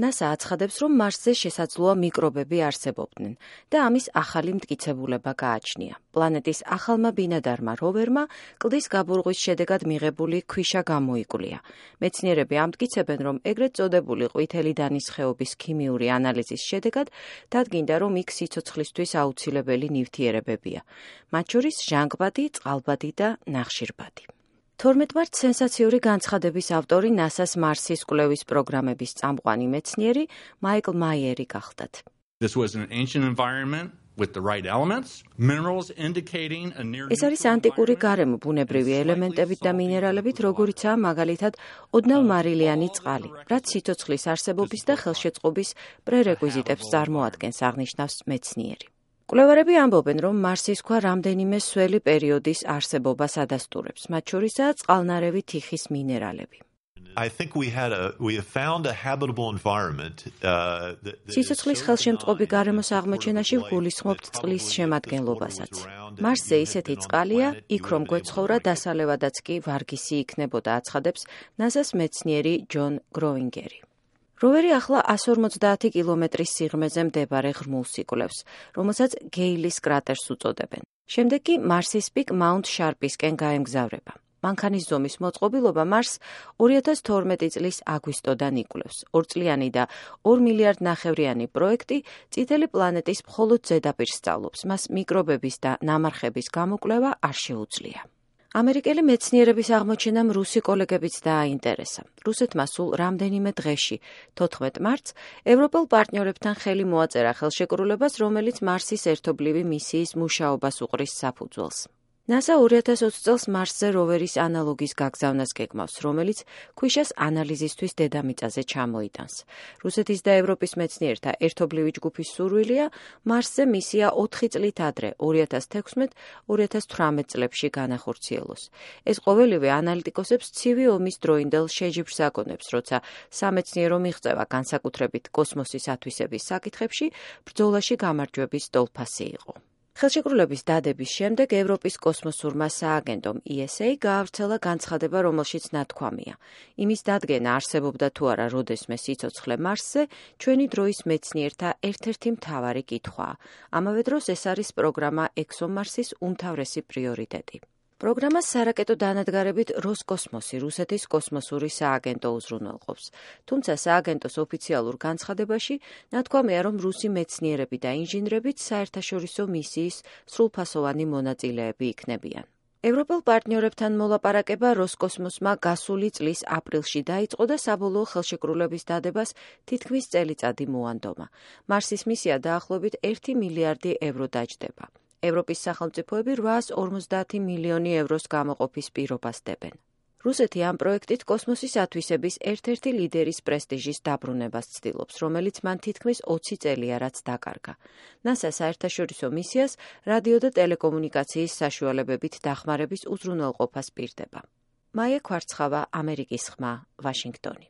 NASA აცხადებს, რომ მარსზე შესაძლოა მიკრობები არსებობდნენ და ამის ახალი მტკიცებულება გააჩნია. პლანეტის ახალმა ბინადარმა როვერმა კლდის გაბურღვის შედეგად მიღებული ქვიშა გამოიკვლია. მეცნიერები ამტკიცებენ, რომ ეგრეთ წოდებული ყვითელი დანის ხეობის ქიმიური ანალიზის შედეგად დადგინდა, რომ იქ სიცოცხლისთვის აუცილებელი ნივთიერებებია, მათ შორის ჟანგბადი, წყალბადი და ნახშირბადი. 12 მარტს სენსაციური განცხადების ავტორი NASA-ს მარსის კვლევის პროგრამების წამყვანი მეცნიერი მაიკლ მაიერი გახდათ. This was an ancient environment with the right elements, minerals indicating a near ეს არის ანტიკური გარემო ბუნებრივი ელემენტებით და მინერალებით, როგორიცაა მაგალითად ოდნავ-მარილიანი წყალი, რაც სიცოცხლის არსებობის და ხელშეწყობის პრერეკვიზიტებს წარმოადგენს, აღნიშნავს მეცნიერი. კვლევარები ამბობენ, რომ მარსის ქვა რამდენიმე სველი პერიოდის არსებობას ადასტურებს, მათ შორისაა წყალნარევი თიხის მინერალები. I think we found a habitable environment. სიცოცხლის ხელშემწყობი გარემოს აღმოჩენაში ვგულისხმობთ წყლის შემადგენლობასაც. მარსზე ისეთი წყალია, იქ რომ გვეცხოვრა დასალევადაც კი ვარგისი იქნებოდა, აცხადებს NASA-ს მეცნიერი ჯონ გროინგერი. როვერი ახლა 150 კილომეტრის სიღრმეზე მდებარე ღრმულს იკვლევს, რომელსაც გეილის კრატერს უწოდებენ. შემდეგ კი მარსის პიკ მაუნთ შარპისკენ გაემგზავრება. მანქანის ზომის მოწყობილობა მარსს 2012 წლის აგვისტოდან იკვლევს. 2 წლიანი და 2 მილიარდ ნახევრიანი პროექტი წითელი პლანეტის მხოლოდ ზედაპირს სწავლობს, მას მიკრობების და ნამარხების გამოკვლევა არ შეუძლია. ამერიკელი მეცნიერების აღმოჩენამ რუსი კოლეგებიც დააინტერესა. რუსეთმა სულ რამდენიმე დღეში, 14 მარტს, ევროპელ პარტნიორებთან ხელი მოაწერა ხელშეკრულებას, რომელიც მარსის ერთობლივი მისიის მუშაობას უყრის საფუძველს. NASA 2020 წელს მარსზე როვერის ანალოგის გაგზავნას გეგმავს, რომელიც ქვიშას ანალიზისთვის დედამიწაზე ჩამოიტანს. რუსეთის და ევროპის მეცნიერთა ერთობლივი ჯგუფის სურვილია მარსზე მისია 4 წლით ადრე, 2016-2018 წლებში განახორციელოს. ეს ყოველივე ანალიტიკოსებს ცივი ომის დროინდელ შეჯიბრს აკონებს, როცა სამეცნიერო მიღწევა განსაკუთრებით კოსმოსის ათვისების საკითხებში ბრძოლაში გამარჯვების ტოლფასი იყო. ხელშეკრულების დადების შემდეგ ევროპის კოსმოსურმა სააგენტომ ESA გაავრცელა განცხადება, რომელშიც ნათქვამია. იმის დადგენა არსებობდა თუ არა როდესმე სიცოცხლე მარსზე, ჩვენი დროის მეცნიერთა ერთ-ერთი მთავარი კითხვაა. ამავე დროს ეს არის პროგრამა ExoMars-ის უმთავრესი პრიორიტეტი. პროგრამას სარაკეტო დანადგარებით როსკოსმოსი, რუსეთის კოსმოსური სააგენტო უზრუნველყოფს. თუმცა სააგენტოს ოფიციალურ განცხადებაში ნათქვამია, რომ რუსი მეცნიერები და ინჟინრებიც საერთაშორისო მისიის სრულფასოვანი მონაწილეები იქნებიან. ევროპელ პარტნიორებთან მოლაპარაკება როსკოსმოსმა გასული წლის აპრილში დაიწყო და საბოლოო ხელშეკრულების დადებას თითქმის წელიწადი მოანდომა. მარსის მისია დაახლოებით 1 მილიარდი ევრო დაჯდება. ევროპის სახელმწიფოები 850 მილიონი ევროს გამოყოფის პირობას დებენ. რუსეთი ამ პროექტით კოსმოსის ათვისების ერთ-ერთი ლიდერის პრესტიჟის დაბრუნებას ცდილობს, რომელიც მან თითქმის 20 წელია რაც დაკარგა. NASA საერთაშორისო მისიას რადიო და ტელეკომუნიკაციის საშუალებებით დახმარების უზრუნველყოფას პირდება. მაია ქვარცხავა, ამერიკის ხმა, ვაშინგტონი.